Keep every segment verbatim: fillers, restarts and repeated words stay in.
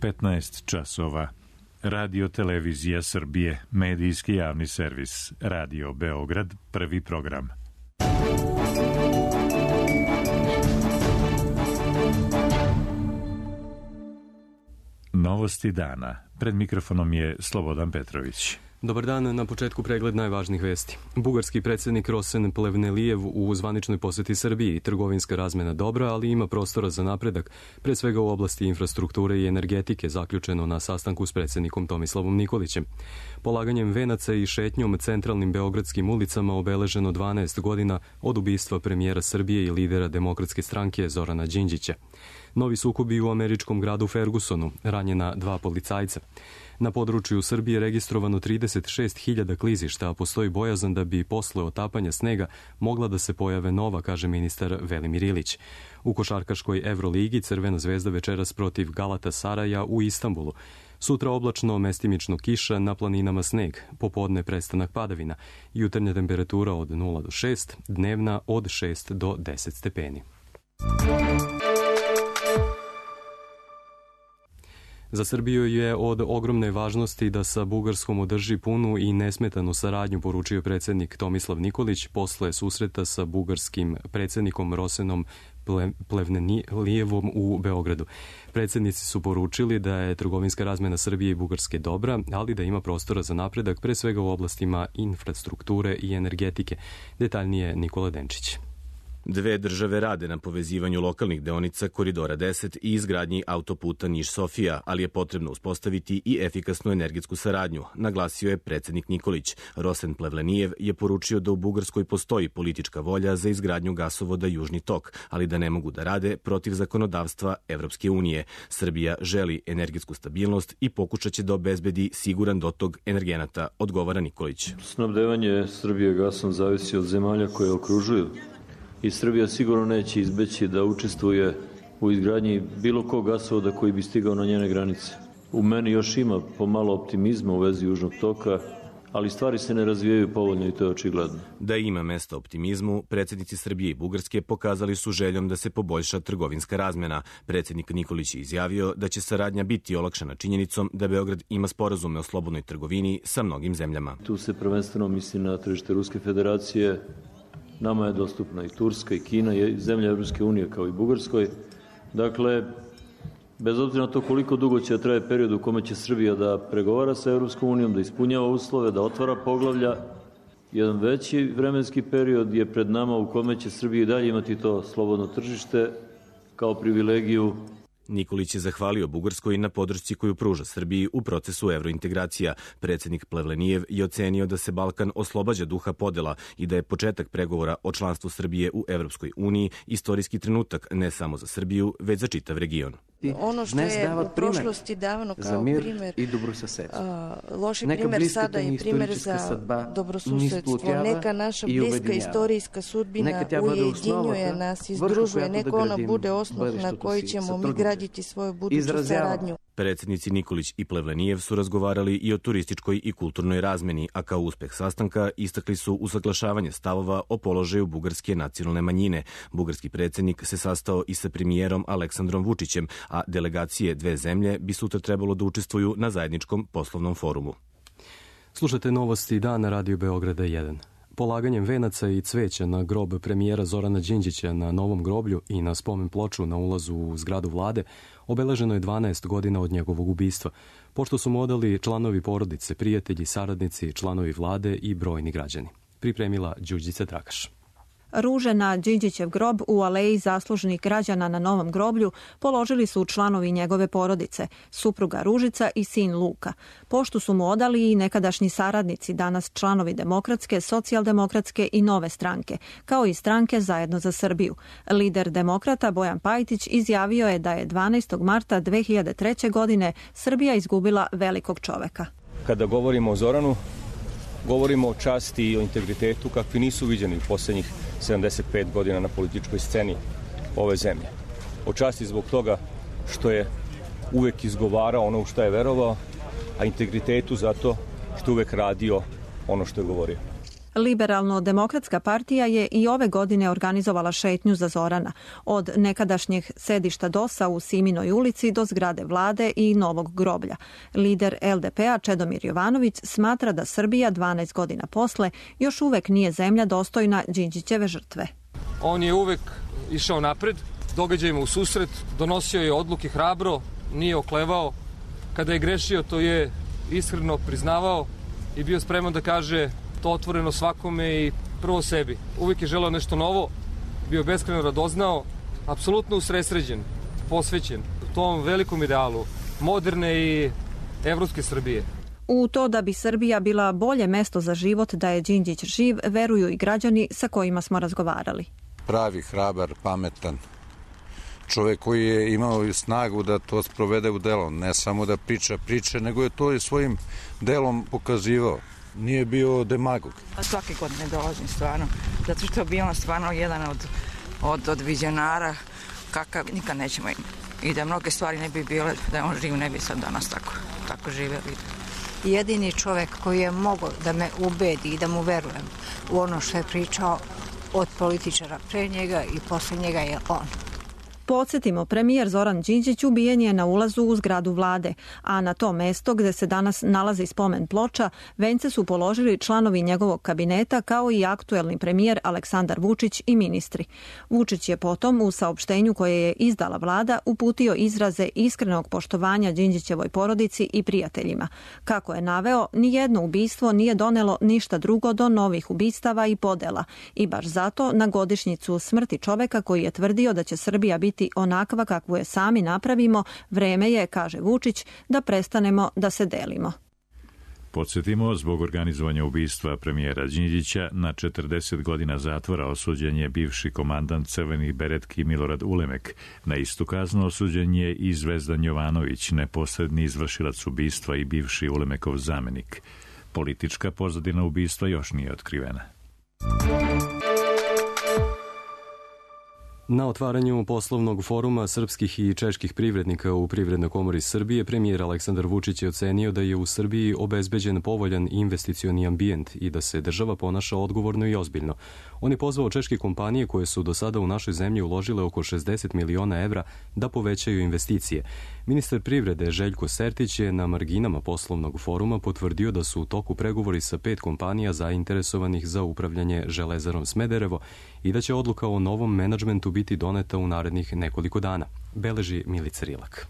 petnaest časova. Radio Televizija Srbije, medijski javni servis, Radio Beograd, prvi program. Novosti dana. Pred mikrofonom je Slobodan Petrović. Dobar dan, na početku pregled najvažnijih vesti. Bugarski predsjednik Rosen Plevnelijev u zvaničnoj posjeti Srbiji. Trgovinska razmjena dobra, ali ima prostora za napredak, pre svega u oblasti infrastrukture i energetike, zaključeno na sastanku s predsjednikom Tomislavom Nikolićem. Polaganjem venaca i šetnjom centralnim beogradskim ulicama obeleženo dvanaest godina od ubistva premijera Srbije i lidera Demokratske stranke Zorana Đinđića. Novi sukobi u američkom gradu Fergusonu, ranjena dva policajca. Na području Srbije registrovano trideset šest hiljada klizišta, a postoji bojazan da bi posle otapanja snega mogla da se pojave nova, kaže ministar Velimir Ilić. U košarkaškoj Evroligi Crvena zvezda večeras protiv Galatasaraja u Istanbulu. Sutra oblačno, mestimično kiša, na planinama sneg, popodne prestanak padavina, jutarnja temperatura od nula do šest, dnevna od šest do deset stepeni. Za Srbiju je od ogromne važnosti da sa Bugarskom održi punu i nesmetanu saradnju, poručio predsjednik Tomislav Nikolić posle susreta sa bugarskim predsjednikom Rosenom Plevnelijevom u Beogradu. Predsjednici su poručili da je trgovinska razmjena Srbije i Bugarske dobra, ali da ima prostora za napredak, pre svega u oblastima infrastrukture i energetike. Detaljnije Nikola Denčić. Dve države rade na povezivanju lokalnih deonica Koridora deset i izgradnji autoputa Niš-Sofija, ali je potrebno uspostaviti i efikasnu energetsku saradnju, naglasio je predsjednik Nikolić. Rosen Plevnelijev je poručio da u Bugarskoj postoji politička volja za izgradnju gasovoda Južni tok, ali da ne mogu da rade protiv zakonodavstva Evropske unije. Srbija želi energetsku stabilnost i pokušaće da obezbedi siguran dotok energenata, odgovara Nikolić. Snabdevanje Srbije gasom zavisi od zemalja koje okružuju. I Srbija sigurno neće izbeći da učestvuje u izgradnji bilo kog gasovoda koji bi stigao na njene granice. U meni još ima pomalo optimizma u vezi Južnog toka, ali stvari se ne razvijaju povoljno i to je očigledno. Da ima mesta optimizmu, predsjednici Srbije i Bugarske pokazali su željom da se poboljša trgovinska razmjena. Predsjednik Nikolić je izjavio da će saradnja biti olakšana činjenicom da Beograd ima sporazume o slobodnoj trgovini sa mnogim zemljama. Tu se prvenstveno misli na tržište Ruske federacije. Nama je dostupna i Turska i Kina i zemlja Evropske unije kao i Bugarskoj. Dakle, bez obzira na to koliko dugo će traje period u kome će Srbija da pregovara sa Evropskom unijom, da ispunjava uslove, da otvara poglavlja, jedan veći vremenski period je pred nama u kome će Srbija i dalje imati to slobodno tržište kao privilegiju. Nikolić je zahvalio Bugarskoj na podršci koju pruža Srbiji u procesu evrointegracija. Predsjednik Plevnelijev je ocenio da se Balkan oslobađa duha podela i da je početak pregovora o članstvu Srbije u Evropskoj uniji istorijski trenutak ne samo za Srbiju, već za čitav region. Ono što je u prošlosti davano kao primjer, loši primjer sada je primjer za dobrosusedstvo. Neka naša bliska istorijska sudbina ujedinjuje nas i združuje. Neka ona bude osnov na koji ćemo mi graditi svoju buduću saradnju. Predsjednici Nikolić i Plevnelijev su razgovarali i o turističkoj i kulturnoj razmeni, a kao uspeh sastanka istakli su usaglašavanje stavova o položaju bugarske nacionalne manjine. Bugarski predsjednik se sastao i sa premijerom Aleksandrom Vučićem, a delegacije dve zemlje bi sutra trebalo da učestvuju na zajedničkom poslovnom forumu. Slušate novosti dana Radio Beograda jedan. Polaganjem venaca i cveća na grob premijera Zorana Đinđića na Novom groblju i na spomen ploču na ulazu u zgradu vlade obeleženo je dvanaest godina od njegovog ubistva, pošto su mu odali članovi porodice, prijatelji, saradnici, članovi vlade i brojni građani. Pripremila Đurđica Dragaš. Ruže na Đinđićev grob u aleji zaslužnih građana na Novom groblju položili su članovi njegove porodice, supruga Ružica i sin Luka. Poštu su mu odali i nekadašnji saradnici, danas članovi Demokratske, Socijaldemokratske i Nove stranke, kao i stranke Zajedno za Srbiju. Lider Demokrata Bojan Pajtić izjavio je da je dvanaestog marta dve hiljade treće. godine Srbija izgubila velikog čoveka. Kada govorimo o Zoranu, govorimo o časti i o integritetu kakvi nisu viđeni u posljednjih sedamdeset pet godina na političkoj sceni ove zemlje. O časti zbog toga što je uvek izgovarao ono u što je verovao, a integritetu zato što uvek radio ono što je govorio. Liberalno-demokratska partija je i ove godine organizovala šetnju za Zorana, od nekadašnjeg sedišta D O S-a u Siminoj ulici do zgrade vlade i novog groblja. Lider L D P-a Čedomir Jovanović smatra da Srbija dvanaest godina posle još uvek nije zemlja dostojna Đinđićeve žrtve. On je uvek išao napred, događajima u susret, donosio je odluke hrabro, nije oklevao. Kada je grešio, to je iskreno priznavao i bio spreman da kaže to otvoreno svakome i prvo sebi. Uvijek je želeo nešto novo, bio beskrajno radoznao, apsolutno usredsređen, posvećen tom velikom idealu moderne i evropske Srbije. U to da bi Srbija bila bolje mesto za život da je Đinđić živ, veruju i građani sa kojima smo razgovarali. Pravi, hrabar, pametan. Čovjek koji je imao snagu da to sprovede u delo, ne samo da priča priče, nego je to i svojim delom pokazivao. Nije bio demagog. Svake godine dolazim stvarno, zato što je bio on stvarno jedan od, od, od vizionara kakav nikad nećemo imati. I da mnoge stvari ne bi bile, da je on živ, ne bi sad danas tako, tako živjeli. Jedini čovjek koji je mogao da me ubedi i da mu verujem u ono što je pričao od političara pre njega i posle njega je on. Podsjetimo, premijer Zoran Đinđić ubijen je na ulazu u zgradu vlade, a na to mesto gde se danas nalazi spomen ploča, vence su položili članovi njegovog kabineta kao i aktuelni premijer Aleksandar Vučić i ministri. Vučić je potom u saopštenju koje je izdala vlada uputio izraze iskrenog poštovanja Đinđićevoj porodici i prijateljima. Kako je naveo, nijedno ubistvo nije donelo ništa drugo do novih ubistava i podela i baš zato na godišnjicu smrti čoveka koji je tvrdio da će Srbija biti onakva kakvu je sami napravimo, vreme je, kaže Vučić, da prestanemo da se delimo. Podsjetimo, zbog organizovanja ubistva premijera Đinđića na četrdeset godina zatvora osuđen je bivši komandant crvenih beretki Milorad Ulemek. Na istu kaznu osuđen je i Zvezdan Jovanović, neposredni izvršilac ubistva i bivši Ulemekov zamenik. Politička pozadina ubistva još nije otkrivena. Na otvaranju poslovnog foruma srpskih i čeških privrednika u Privrednoj komori Srbije, premijer Aleksandar Vučić je ocenio da je u Srbiji obezbeđen povoljan investicioni ambijent i da se država ponaša odgovorno i ozbiljno. On je pozvao češke kompanije koje su do sada u našoj zemlji uložile oko šezdeset miliona evra da povećaju investicije. Ministar privrede Željko Sertić je na marginama poslovnog foruma potvrdio da su u toku pregovori sa pet kompanija zainteresovanih za upravljanje Železarom Smederevo i da će odluka o novom menadžmentu biti doneta u narednih nekoliko dana, beleži Milica Rilak.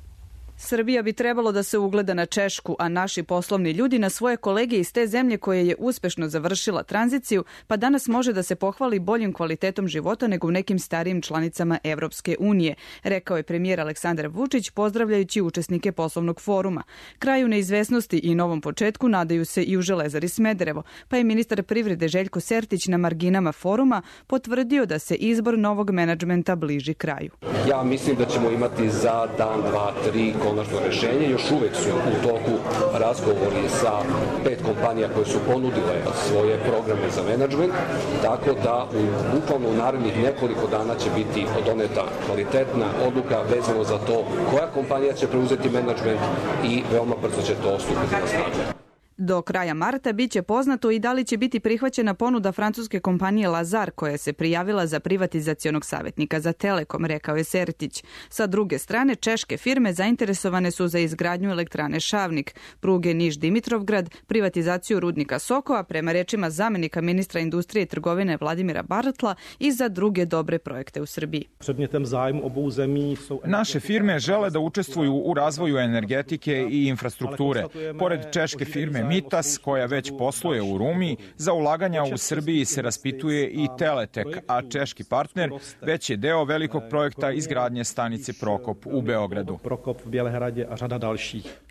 Srbija bi trebalo da se ugleda na Češku, a naši poslovni ljudi na svoje kolege iz te zemlje koje je uspešno završila tranziciju, pa danas može da se pohvali boljim kvalitetom života nego u nekim starijim članicama Evropske unije, rekao je premijer Aleksandar Vučić pozdravljajući učesnike poslovnog foruma. Kraju neizvesnosti i novom početku nadaju se i u Železari Smederevo, pa je ministar privrede Željko Sertić na marginama foruma potvrdio da se izbor novog menadžmenta bliži kraju. Ja mislim da ćemo imati za dan, dva, tri konačno rešenje. Još uvek su u toku razgovori sa pet kompanija koje su ponudile svoje programe za menadžment, tako da u, bukvalno u narednih nekoliko dana će biti doneta kvalitetna odluka vezano za to koja kompanija će preuzeti menadžment i veoma brzo će to stupiti na snagu. Do kraja marta biće poznato i da li će biti prihvaćena ponuda francuske kompanije Lazar koja se prijavila za privatizacionog savjetnika za Telekom, rekao je Sertić. Sa druge strane, češke firme zainteresovane su za izgradnju elektrane Šavnik, pruge Niš-Dimitrovgrad, privatizaciju rudnika Sokova, prema rečima zamenika ministra industrije i trgovine Vladimira Bartla i za druge dobre projekte u Srbiji. Naše firme žele da učestvuju u razvoju energetike i infrastrukture. Pored češke firme Mitas, koja već posluje u Rumiji, za ulaganja u Srbiji se raspituje i Teletek, a češki partner već je deo velikog projekta izgradnje stanice Prokop u Beogradu.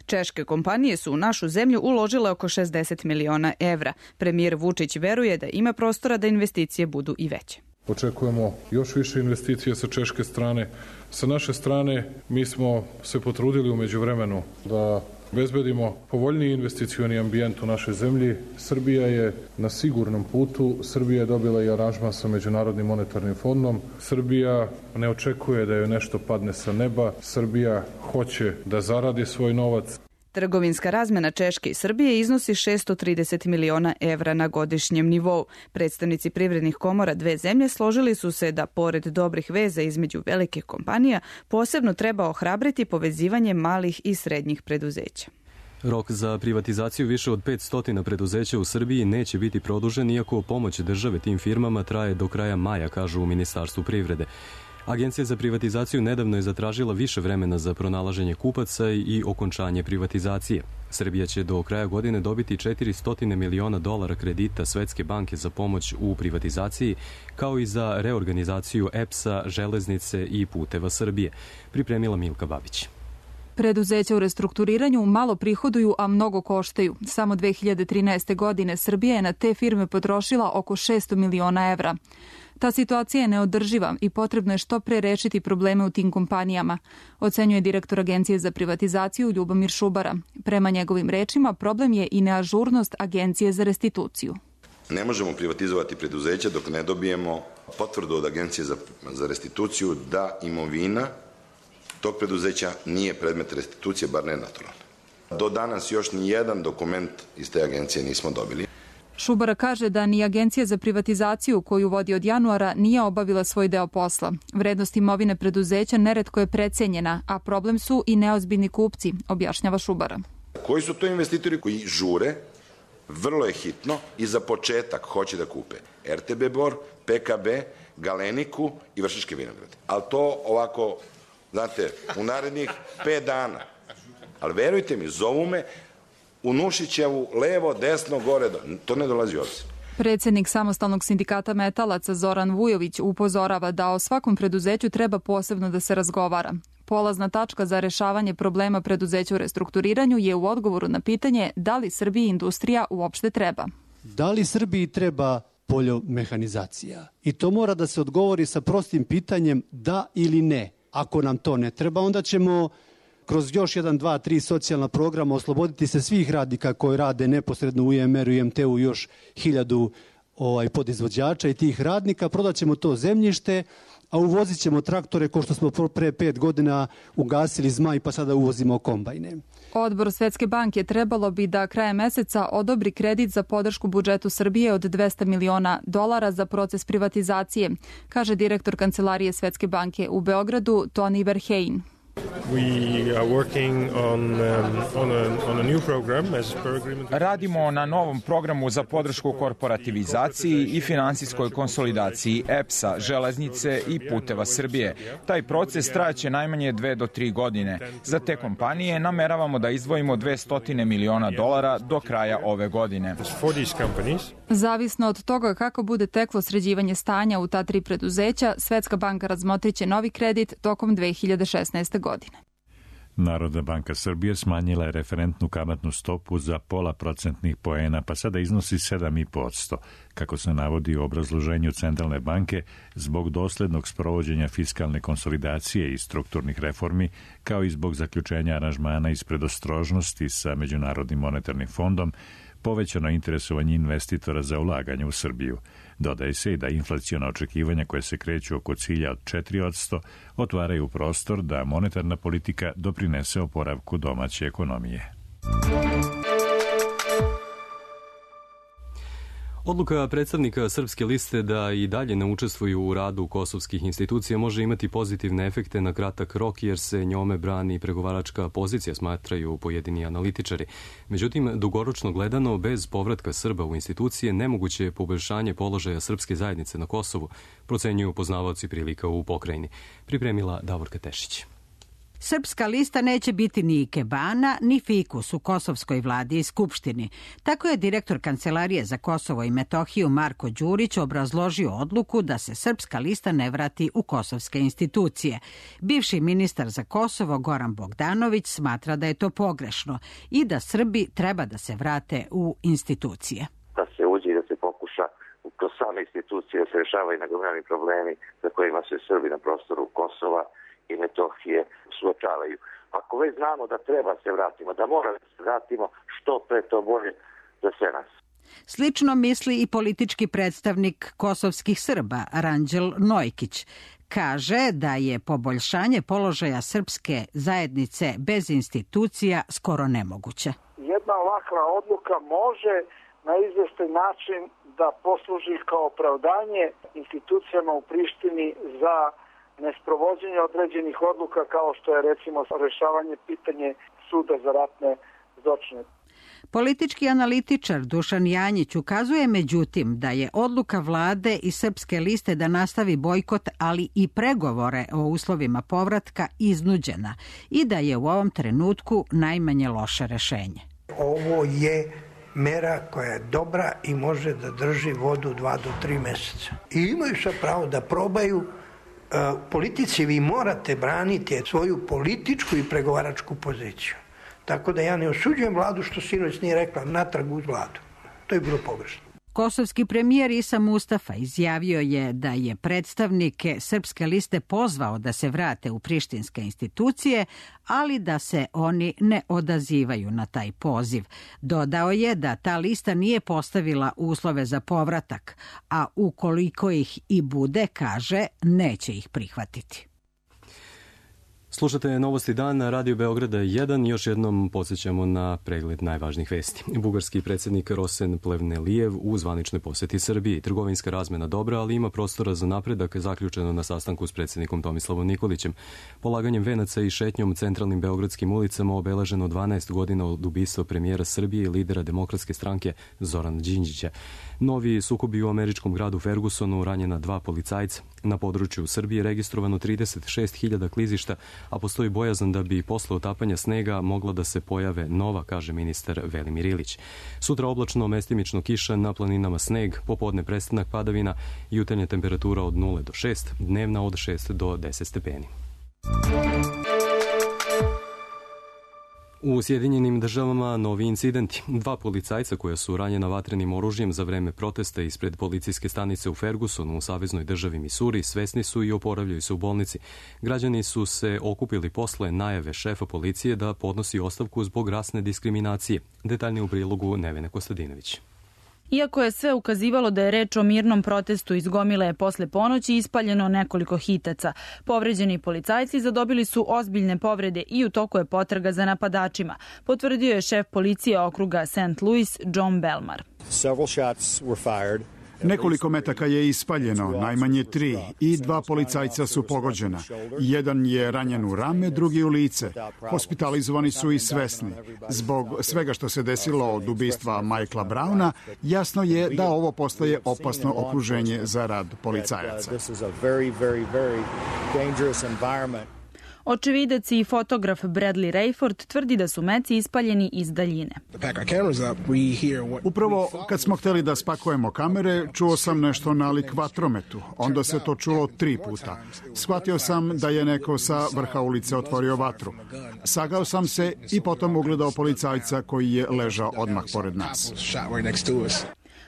Češke kompanije su u našu zemlju uložile oko šezdeset miliona evra. Premijer Vučić veruje da ima prostora da investicije budu i veće. Očekujemo još više investicije sa češke strane. Sa naše strane mi smo se potrudili u međuvremenu da obezbedimo povoljniji investicioni ambijent u našoj zemlji. Srbija je na sigurnom putu. Srbija je dobila i aranžman sa Međunarodnim monetarnim fondom. Srbija ne očekuje da joj nešto padne sa neba. Srbija hoće da zaradi svoj novac. Trgovinska razmena Češke i Srbije iznosi šesto trideset miliona evra na godišnjem nivou. Predstavnici privrednih komora dve zemlje složili su se da, pored dobrih veza između velikih kompanija, posebno treba ohrabriti povezivanje malih i srednjih preduzeća. Rok za privatizaciju više od petsto preduzeća u Srbiji neće biti produžen, iako pomoć države tim firmama traje do kraja maja, kažu u Ministarstvu privrede. Agencija za privatizaciju nedavno je zatražila više vremena za pronalaženje kupaca i okončanje privatizacije. Srbija će do kraja godine dobiti četiristo miliona dolara kredita Svetske banke za pomoć u privatizaciji, kao i za reorganizaciju E P S-a, Železnice i Puteva Srbije, pripremila Milka Babić. Preduzeća u restrukturiranju malo prihoduju, a mnogo koštaju. Samo dve hiljade trinaeste. godine Srbija je na te firme potrošila oko šesto miliona evra. Ta situacija je neodrživa i potrebno je što pre rešiti probleme u tim kompanijama, ocenjuje direktor Agencije za privatizaciju Ljubomir Šubara. Prema njegovim rečima, problem je i neažurnost Agencije za restituciju. Ne možemo privatizovati preduzeća dok ne dobijemo potvrdu od Agencije za, za restituciju da imovina tog preduzeća nije predmet restitucije, bar ne naturalno. Do danas još ni jedan dokument iz te agencije nismo dobili. Šubara kaže da ni Agencija za privatizaciju koju vodi od januara nije obavila svoj deo posla. Vrednost imovine preduzeća neretko je precenjena, a problem su i neozbiljni kupci, objašnjava Šubara. Koji su to investitori koji žure, vrlo je hitno i za početak hoće da kupe R T B Bor, P K B, Galeniku i Vršačke vinograde. Ali to ovako, znate, u narednih pet dana. Ali verujte mi, zovu me u Nušićevu, levo, desno, gore, to ne dolazi u obzir. Predsednik Samostalnog sindikata metalaca Zoran Vujović upozorava da o svakom preduzeću treba posebno da se razgovara. Polazna tačka za rešavanje problema preduzeća u restrukturiranju je u odgovoru na pitanje da li Srbiji industrija uopšte treba. Da li Srbiji treba poljomehanizacija? I to mora da se odgovori sa prostim pitanjem da ili ne. Ako nam to ne treba, onda ćemo kroz još jedan, dva, tri socijalna programa osloboditi se svih radnika koji rade neposredno u I M R-u i M T-u još hiljadu ovaj, podizvođača i tih radnika. Prodat ćemo to zemljište, a uvozit ćemo traktore ko što smo pre pet godina ugasili Zmaj pa sada uvozimo kombajne. Odbor Svetske banke trebalo bi da krajem meseca odobri kredit za podršku budžetu Srbije od dvesta miliona dolara za proces privatizacije, kaže direktor Kancelarije Svetske banke u Beogradu Toni Verheyen. Radimo na novom programu za podršku korporativizaciji i finansijskoj konsolidaciji E P S-a, Železnice i Puteva Srbije. Taj proces trajaće najmanje dve do tri godine. Za te kompanije nameravamo da izdvojimo dvesta miliona dolara do kraja ove godine. Zavisno od toga kako bude teklo sređivanje stanja u ta tri preduzeća, Svetska banka razmotriće novi kredit tokom dve hiljade šesnaeste. godine. Narodna banka Srbije smanjila je referentnu kamatnu stopu za pola procentnih poena, pa sada iznosi sedam zarez pet posto, kako se navodi u obrazloženju Centralne banke, zbog doslednog sprovođenja fiskalne konsolidacije i strukturnih reformi, kao i zbog zaključenja aranžmana iz predostrožnosti sa Međunarodnim monetarnim fondom, povećano interesovanje investitora za ulaganje u Srbiju. Dodaje se i da inflaciona očekivanja koje se kreću oko cilja od četiri posto otvaraju prostor da monetarna politika doprinese oporavku domaće ekonomije. Odluka predstavnika Srpske liste da i dalje ne učestvuju u radu kosovskih institucija može imati pozitivne efekte na kratak rok, jer se njome brani pregovaračka pozicija, smatraju pojedini analitičari. Međutim, dugoročno gledano, bez povratka Srba u institucije nemoguće je poboljšanje položaja srpske zajednice na Kosovu, procenjuju poznavaoci prilika u pokrajini. Pripremila Davorka Tešić. Srpska lista neće biti ni ikebana, ni fikus u kosovskoj vladi i skupštini. Tako je direktor Kancelarije za Kosovo i Metohiju Marko Đurić obrazložio odluku da se Srpska lista ne vrati u kosovske institucije. Bivši ministar za Kosovo Goran Bogdanović smatra da je to pogrešno i da Srbi treba da se vrate u institucije. Da se uđe i da se pokuša kroz same institucije da se rešavaju nagomilani problemi za kojima se Srbi na prostoru Kosova i Metohije suočavaju. Ako već znamo da treba se vratimo, da moramo se vratimo, što pre to bolje za sve nas. Slično misli i politički predstavnik kosovskih Srba, Ranđel Nojkić. kaže da je poboljšanje položaja srpske zajednice bez institucija skoro nemoguće. Jedna ovakva odluka može na izvestan način da posluži kao opravdanje institucijama u Prištini za nesprovođenje određenih odluka kao što je recimo rešavanje pitanje suda za ratne zločine. Politički analitičar Dušan Janjić ukazuje međutim da je odluka vlade i Srpske liste da nastavi bojkot, ali i pregovore o uslovima povratka iznuđena i da je u ovom trenutku najmanje loše rešenje. Ovo je mera koja je dobra i može da drži vodu dva do tri meseca. I imaju sve pravo da probaju. U politici vi morate braniti svoju političku i pregovaračku poziciju. Tako da ja ne osuđujem vladu što sinoć nije rekla natrag uz vladu. To je bilo pogrešno. Kosovski premijer Isa Mustafa izjavio je da je predstavnike Srpske liste pozvao da se vrate u prištinske institucije, ali da se oni ne odazivaju na taj poziv. Dodao je da ta lista nije postavila uslove za povratak, a ukoliko ih i bude, kaže, neće ih prihvatiti. Slušate Novosti dan na Radio Beograda jedan. Još jednom podsjećamo na pregled najvažnijih vesti. Bugarski predsjednik Rosen Plevnelijev u zvaničnoj posjeti Srbiji. Trgovinska razmena dobra, ali ima prostora za napredak, zaključeno na sastanku s predsjednikom Tomislavom Nikolićem. Polaganjem venaca i šetnjom centralnim beogradskim ulicama obeleženo dvanaest godina od ubistva premijera Srbije i lidera Demokratske stranke Zorana Đinđića. Novi sukobi u američkom gradu Fergusonu, ranjena dva policajca. Na području Srbije registrovano trideset šest hiljada klizišta, a postoji bojazan da bi posle otapanja snega mogla da se pojave nova, kaže ministar Velimir Ilić. Sutra oblačno, mestimično kiša, na planinama sneg, popodne prestanak padavina, jutarnja temperatura od nula do šest, dnevna od šest do deset stepeni. U Sjedinjenim državama novi incidenti. Dva policajca koja su ranjena vatrenim oružjem za vreme protesta ispred policijske stanice u Fergusonu u saveznoj državi Misuri svesni su i oporavljaju se u bolnici. Građani su se okupili posle najave šefa policije da podnosi ostavku zbog rasne diskriminacije. Detaljnije u prilogu Nevene Kostadinović. Iako je sve ukazivalo da je reč o mirnom protestu iz gomile posle ponoći, ispaljeno nekoliko hitaca. Povređeni policajci zadobili su ozbiljne povrede i u toku je potraga za napadačima, potvrdio je šef policije okruga Saint Louis John Belmar. Several shots were fired. Nekoliko metaka je ispaljeno, najmanje tri, i dva policajca su pogođena. Jedan je ranjen u rame, drugi u lice. Hospitalizovani su i svesni. Zbog svega što se desilo od ubistva Michaela Browna, jasno je da ovo postaje opasno okruženje za rad policajaca. Očevidac i fotograf Bradley Rayford tvrdi da su meci ispaljeni iz daljine. Upravo kad smo hteli da spakujemo kamere, čuo sam nešto nalik vatrometu. Onda se to čulo tri puta. Shvatio sam da je neko sa vrha ulice otvorio vatru. Sagao sam se i potom ugledao policajca koji je ležao odmah pored nas.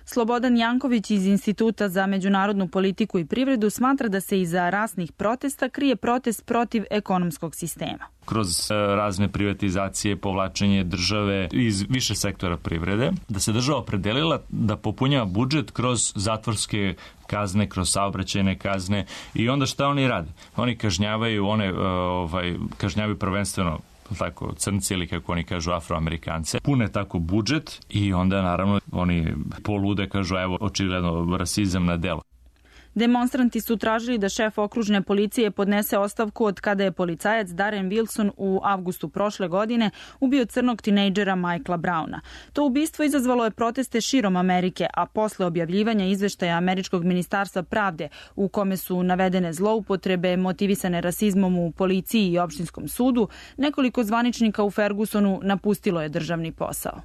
Slobodan Janković iz Instituta za međunarodnu politiku i privredu smatra da se iza rasnih protesta krije protest protiv ekonomskog sistema. Kroz razne privatizacije, povlačenje države iz više sektora privrede, da se država opredelila da popunjava budžet kroz zatvorske kazne, kroz saobraćajne kazne i onda šta oni rade? Oni kažnjavaju, one ovaj, kažnjavaju prvenstveno tako crnci ili kako oni kažu Afroamerikance, pune tako budžet i onda naravno oni polude kažu evo očigledno rasizam na delo. Demonstranti su tražili da šef okružne policije podnese ostavku od kada je policajac Darren Wilson u avgustu prošle godine ubio crnog tinejdžera Michaela Browna. To ubistvo izazvalo je proteste širom Amerike, a posle objavljivanja izveštaja Američkog ministarstva pravde u kome su navedene zloupotrebe motivisane rasizmom u policiji i opštinskom sudu, nekoliko zvaničnika u Fergusonu napustilo je državni posao.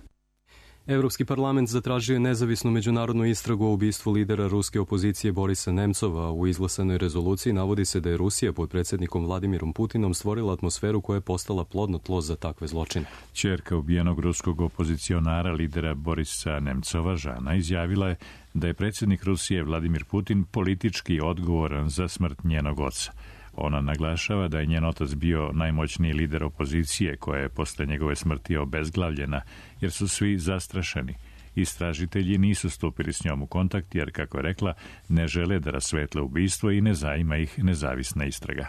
Evropski parlament zatražio je nezavisnu međunarodnu istragu o ubistvu lidera ruske opozicije Borisa Nemcova. U izglasanoj rezoluciji navodi se da je Rusija pod predsjednikom Vladimirom Putinom stvorila atmosferu koja je postala plodno tlo za takve zločine. Ćerka ubijenog ruskog opozicionara lidera Borisa Nemcova, Žana, izjavila je da je predsjednik Rusije Vladimir Putin politički odgovoran za smrt njenog oca. Ona naglašava da je njen otac bio najmoćniji lider opozicije koja je posle njegove smrti obezglavljena jer su svi zastrašeni. Istražitelji nisu stupili s njom u kontakt jer, kako je rekla, ne žele da rasvetle ubistvo i ne zanima ih nezavisna istraga.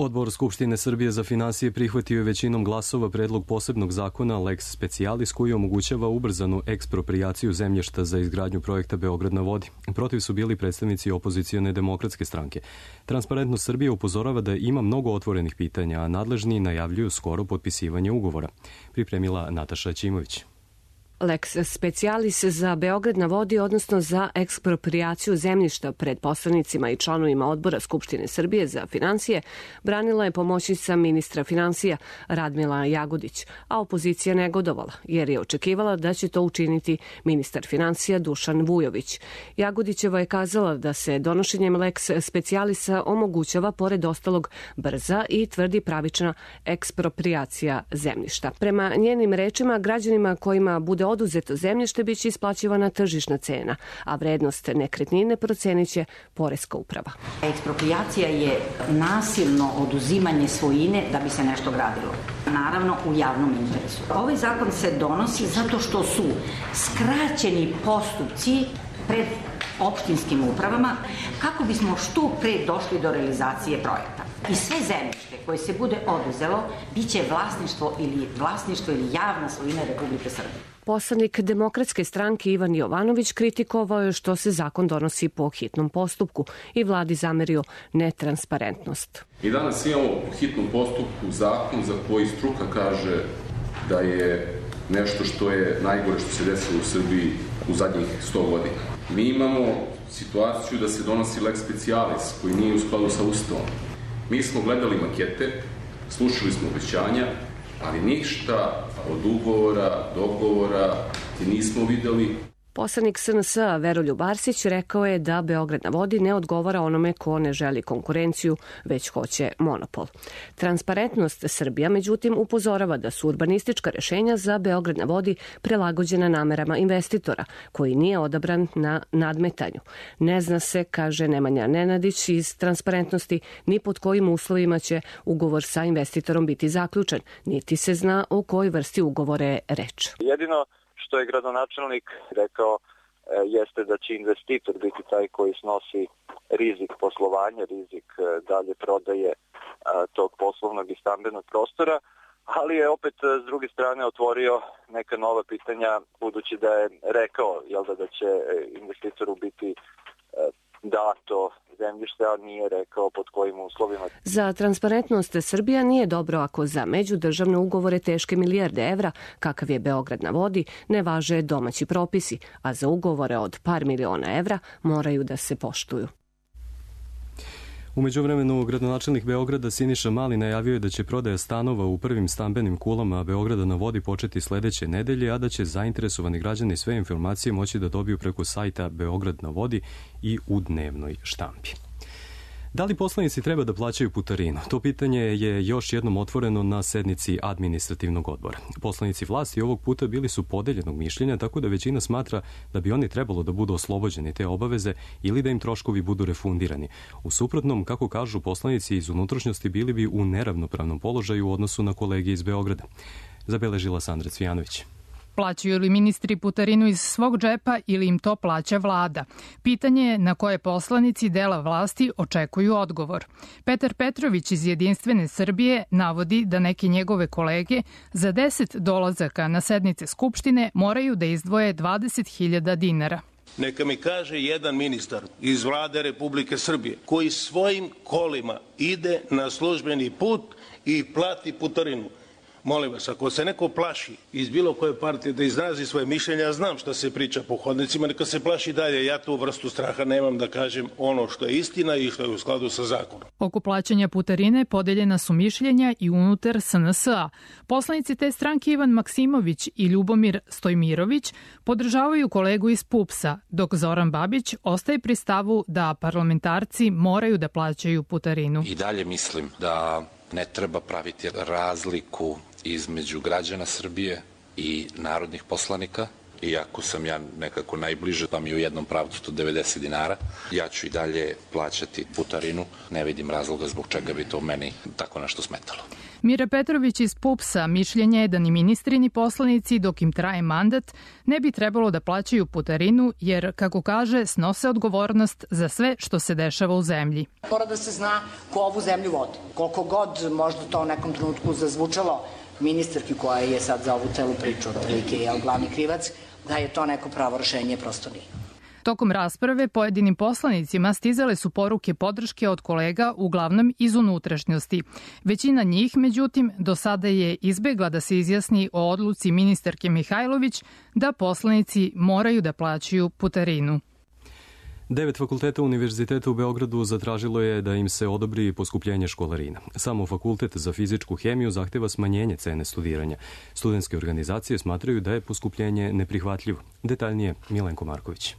Odbor Skupštine Srbije za finansije prihvatio je većinom glasova predlog posebnog zakona Lex Specialis koji omogućava ubrzanu eksproprijaciju zemljišta za izgradnju projekta Beograd na vodi. Protiv su bili predstavnici opozicione demokratske stranke. Transparentnost Srbije upozorava da ima mnogo otvorenih pitanja, a nadležni najavljuju skoro potpisivanje ugovora. Pripremila Nataša Ćimović. Lex Specialis za Beograd na vodi, odnosno za eksproprijaciju zemljišta pred poslanicima i članovima odbora Skupštine Srbije za finansije, branila je pomoćnica ministra finansija Radmila Jagodić, a opozicija negodovala, jer je očekivala da će to učiniti ministar finansija Dušan Vujović. Jagodićeva je kazala da se donošenjem Lex Specialisa omogućava, pored ostalog, brza i tvrdi pravična eksproprijacija zemljišta. Prema njenim rečima, građanima kojima bude oduzeto zemljište biće isplaćivana tržišna cena, a vrednost nekretnine procenit će poreska uprava. Eksproprijacija je nasilno oduzimanje svojine da bi se nešto gradilo. Naravno, u javnom interesu. Ovaj zakon se donosi zato što su skraćeni postupci pred opštinskim upravama kako bismo što pre došli do realizacije projekta. I sve zemljište koje se bude oduzelo biće vlasništvo ili vlasništvo ili javna svojina Republike Srbije. Poslanik Demokratske stranke Ivan Jovanović kritikovao je što se zakon donosi po hitnom postupku i vladi zamerio netransparentnost. Mi danas imamo po hitnom postupku zakon za koji struka kaže da je nešto što je najgore što se desilo u Srbiji u zadnjih sto godina. Mi imamo situaciju da se donosi Lex Specialis koji nije u skladu sa Ustavom. Mi smo gledali makete, slušali smo obećanja, ali ništa od ugovora, dogovora ti nismo videli. Poslanik S N S-a Veroljub Arsić rekao je da Beograd na vodi ne odgovara onome ko ne želi konkurenciju, već hoće monopol. Transparentnost Srbija, međutim, upozorava da su urbanistička rešenja za Beograd na vodi prilagođena namerama investitora, koji nije odabran na nadmetanju. Ne zna se, kaže Nemanja Nenadić iz Transparentnosti, ni pod kojim uslovima će ugovor sa investitorom biti zaključen, niti se zna o kojoj vrsti ugovora je reč. Jedino što je gradonačelnik rekao jeste da će investitor biti taj koji snosi rizik poslovanja, rizik dalje prodaje tog poslovnog i stambenog prostora, ali je opet s druge strane otvorio neka nova pitanja budući da je rekao jel da, da će investitoru biti dato zemljište, a nije rekao pod kojim uslovima. Za transparentnost Srbija nije dobro ako za međudržavne ugovore teške milijarde evra, kakav je Beograd na vodi, ne važe domaći propisi, a za ugovore od par miliona evra moraju da se poštuju. U međuvremenu, gradonačelnik Beograda Siniša Mali najavio je da će prodaja stanova u prvim stambenim kulama Beograda na vodi početi sledeće nedelje, a da će zainteresovani građani sve informacije moći da dobiju preko sajta Beograd na vodi i u dnevnoj štampi. Da li poslanici treba da plaćaju putarinu? To pitanje je još jednom otvoreno na sednici administrativnog odbora. Poslanici vlasti ovog puta bili su podeljenog mišljenja, tako da većina smatra da bi oni trebalo da budu oslobođeni te obaveze ili da im troškovi budu refundirani. U suprotnom, kako kažu poslanici iz unutrašnjosti, bili bi u neravnopravnom položaju u odnosu na kolege iz Beograda. Zabeležila Sandra Cvijanović. Plaćaju li ministri putarinu iz svog džepa ili im to plaća vlada? Pitanje je na koje poslanici dela vlasti očekuju odgovor. Petar Petrović iz Jedinstvene Srbije navodi da neke njegove kolege za deset dolazaka na sednice Skupštine moraju da izdvoje dvadeset hiljada dinara. Neka mi kaže jedan ministar iz vlade Republike Srbije koji svojim kolima ide na službeni put i plati putarinu. Molim vas, ako se neko plaši iz bilo koje partije da izrazi svoje mišljenje, ja znam šta se priča po hodnicima, neka se plaši dalje. Ja tu vrstu straha nemam da kažem ono što je istina i što je u skladu sa zakonom. Oko plaćanja putarine podeljena su mišljenja i unutar S N S-a. Poslanici te stranke Ivan Maksimović i Ljubomir Stojmirović podržavaju kolegu iz P U P S-a, dok Zoran Babić ostaje pri stavu da parlamentarci moraju da plaćaju putarinu. I dalje mislim da ne treba praviti razliku između građana Srbije i narodnih poslanika. Iako sam ja nekako najbliže, pa mi u jednom pravcu to devedeset dinara, ja ću i dalje plaćati putarinu. Ne vidim razloga zbog čega bi to meni tako nešto smetalo. Mira Petrović iz P U P S-a mišljenja je da ni ministri ni poslanici dok im traje mandat ne bi trebalo da plaćaju putarinu jer, kako kaže, snose odgovornost za sve što se dešava u zemlji. Mora da se zna ko ovu zemlju vodi. Koliko god možda to u nekom trenutku zazvučalo ministarki koja je sad za ovu celu priču otprilike je glavni krivac, da je to neko pravo rešenje, prosto nije. Tokom rasprave pojedinim poslanicima stizale su poruke podrške od kolega, uglavnom iz unutrašnjosti. Većina njih, međutim, do sada je izbegla da se izjasni o odluci ministarke Mihajlović da poslanici moraju da plaćaju putarinu. Devet fakulteta Univerziteta u Beogradu zatražilo je da im se odobri poskupljenje školarina. Samo Fakultet za fizičku hemiju zahteva smanjenje cene studiranja. Studentske organizacije smatraju da je poskupljenje neprihvatljivo. Detaljnije Milenko Marković.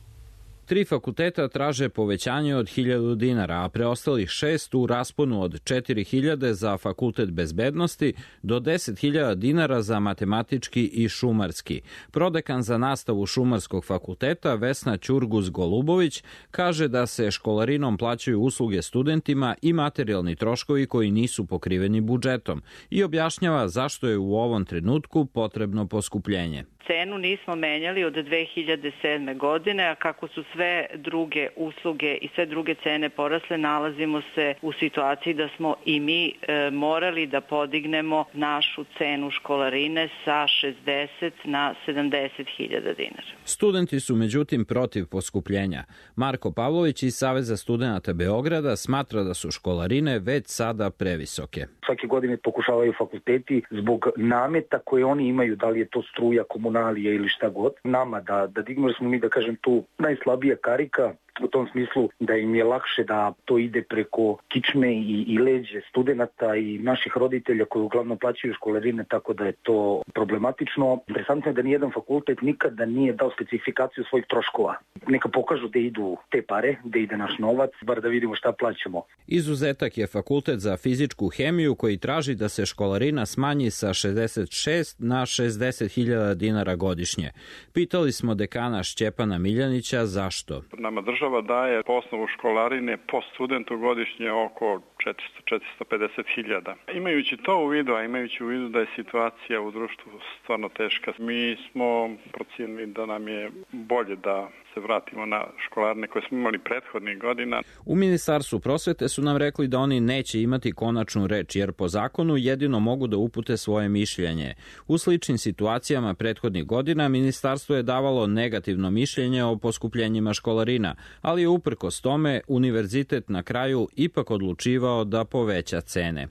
Tri fakulteta traže povećanje od hiljadu dinara, a preostalih šest u rasponu od četiri hiljade za Fakultet bezbednosti do deset hiljada dinara za matematički i šumarski. Prodekan za nastavu Šumarskog fakulteta Vesna Ćurguz-Golubović kaže da se školarinom plaćaju usluge studentima i materijalni troškovi koji nisu pokriveni budžetom i objašnjava zašto je u ovom trenutku potrebno poskupljenje. Cenu nismo menjali od dve hiljade sedme. godine, a kako su sve druge usluge i sve druge cene porasle, nalazimo se u situaciji da smo i mi e, morali da podignemo našu cenu školarine sa šezdeset na sedamdeset hiljada dinara. Studenti su međutim protiv poskupljenja. Marko Pavlović iz Saveza studenata Beograda smatra da su školarine već sada previsoke. Svake godine pokušavaju fakulteti zbog nameta koje oni imaju, da li je to struja, komunalija ili šta god, nama da, da dignu, jer smo mi, da kažem, tu najslabija karika, u tom smislu da im je lakše da to ide preko kičme i, i leđe studenta i naših roditelja koji uglavnom plaćaju školarine, tako da je to problematično. Interesantno je da nijedan fakultet nikada nije dao specifikaciju svojih troškova. Neka pokažu da idu te pare, da ide naš novac, bar da vidimo šta plaćamo. Izuzetak je Fakultet za fizičku hemiju koji traži da se školarina smanji sa šezdeset šest na šezdeset hiljada dinara godišnje. Pitali smo dekana Šćepana Miljanića zašto. Nama država daje po osnovu školarine po studentu godišnje oko četiristo do četiristo pedeset hiljada. Imajući to u vidu, a imajući u vidu da je situacija u društvu stvarno teška, mi smo procijenili da nam je bolje da se vratimo na školarine koje smo imali prethodnih godina. U Ministarstvu prosvete su nam rekli da oni neće imati konačnu reč, jer po zakonu jedino mogu da upute svoje mišljenje. U sličnim situacijama prethodnih godina Ministarstvo je davalo negativno mišljenje o poskupljenjima školarina, ali je uprkos tome univerzitet na kraju ipak odlučivao da poveća cene.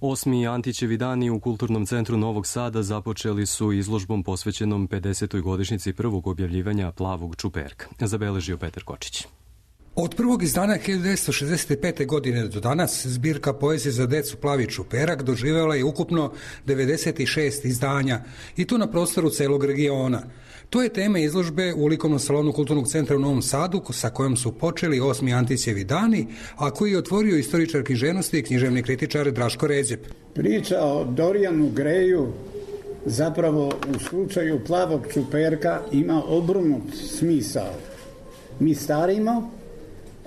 Osmi Antićevi dani u Kulturnom centru Novog Sada započeli su izložbom posvećenom pedesetoj godišnjici prvog objavljivanja Plavog čuperka. Zabeležio Petar Kočić. Od prvog izdanja hiljadu devetsto šezdeset pete. godine do danas zbirka poezije za decu Plavi čuperak doživjela je ukupno devedeset šest izdanja i to na prostoru celog regiona. To je tema izložbe u likovnom salonu Kulturnog centra u Novom Sadu sa kojom su počeli osmi Antićevi dani, a koji je otvorio istoričar književnosti i književni kritičar Draško Ređep. Priča o Dorijanu Greju zapravo u slučaju Plavog čuperka ima obrnut smisao. Mi starimo,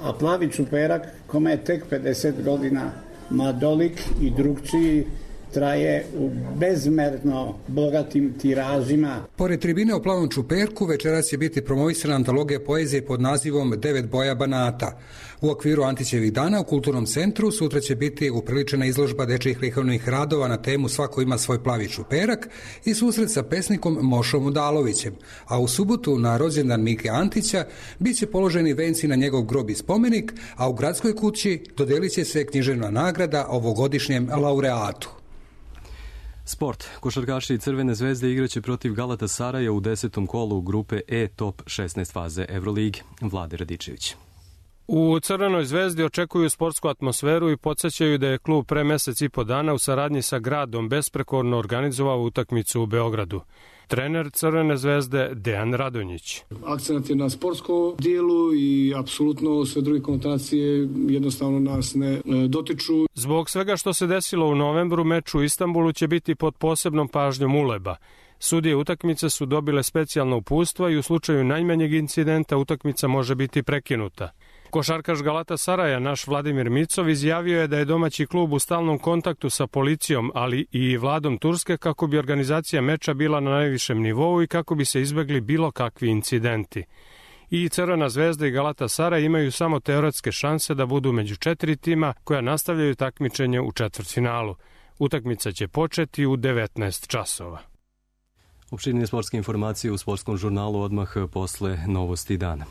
a Plavi čuperak, kome je tek pedeset godina, mladolik i drugčiji, traje u bezmerno bogatim tiražima. Pored tribine o Plavom čuperku, večeras će biti promovisana antologija poezije pod nazivom Devet boja banata. U okviru Antićevih dana u Kulturnom centru sutra će biti upriličena izložba dečjih likovnih radova na temu Svako ima svoj plavi čuperak i susret sa pesnikom Mošom Udalovićem. A u subotu na rođendan Mike Antića bit će položeni venci na njegov grob i spomenik, a u gradskoj kući dodelit će se književna nagrada ovogodišnjem laureatu. Sport. Košarkaši Crvene zvezde igraće protiv Galatasaraja u desetom kolu grupe E top šesnaest faze Euroligi. Vlade Radičević. U Crvenoj zvezdi očekuju sportsku atmosferu i podsjećaju da je klub pre mesec i po dana u saradnji sa gradom besprekorno organizovao utakmicu u Beogradu. Trener Crvene zvezde Dejan Radonjić. Akcenat je na sportskom dijelu i apsolutno sve druge konotacije jednostavno nas ne dotiču. Zbog svega što se desilo u novembru, meč u Istanbulu će biti pod posebnom pažnjom Uleba. Sudije utakmice su dobile specijalno uputstva i u slučaju najmanjeg incidenta utakmica može biti prekinuta. Košarkaš Galatasaraja, naš Vladimir Micov, izjavio je da je domaći klub u stalnom kontaktu sa policijom, ali i vladom Turske kako bi organizacija meča bila na najvišem nivou i kako bi se izbegli bilo kakvi incidenti. I Crvena zvezda i Galatasaraj imaju samo teoretske šanse da budu među četiri tima koja nastavljaju takmičenje u četvrtfinalu. Utakmica će početi u devetnaest časova. Opširnije sportske informacije u sportskom žurnalu odmah posle novosti dana.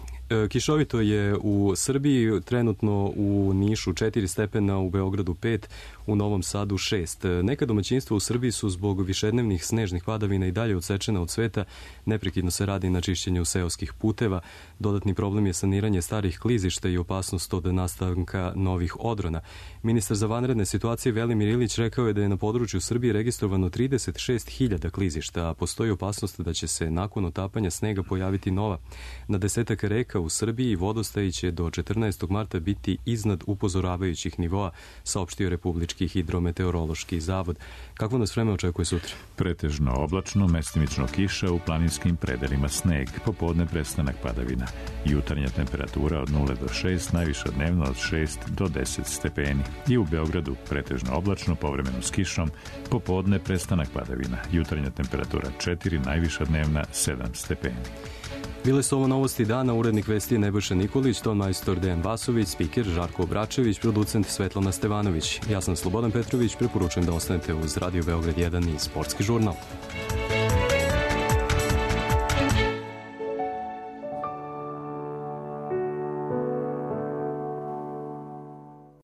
Kišovito je u Srbiji, trenutno u Nišu četiri stepena, u Beogradu pet, u Novom Sadu šest. Neka domaćinstva u Srbiji su zbog višednevnih snežnih padavina i dalje odsečena od sveta. Neprekidno se radi na čišćenju seoskih puteva. Dodatni problem je saniranje starih klizišta i opasnost od nastanka novih odrona. Ministar za vanredne situacije Velimir Ilić rekao je da je na području Srbije registrovano trideset šest hiljada klizišta, a postoji opasnost da će se nakon otapanja snega pojaviti nova. Na desetak reka u Srbiji vodostaji će do četrnaestog marta biti iznad upozoravajućih nivoa, saopštio Republički hidrometeorološki zavod. Kako nas vreme očekuje sutra? Pretežno oblačno, mestimično kiša, u planinskim predelima sneg, popodne prestanak padavina. Jutarnja temperatura od nula do šest, najviša dnevno od šest do deset stepeni. I u Beogradu pretežno oblačno, povremeno s kišom, popodne prestanak padavina. Jutarnja temperatura četiri, najviša dnevna sedam stepeni. Bile su ovo novosti dana, urednik vesti je Nebojša Nikolić, ton majstor Dejan Vasović, spiker Žarko Obračević, producent Svetlana Stevanović. Ja sam Slobodan Petrović, preporučujem da ostanete uz Radio Beograd jedan i Sportski žurnal.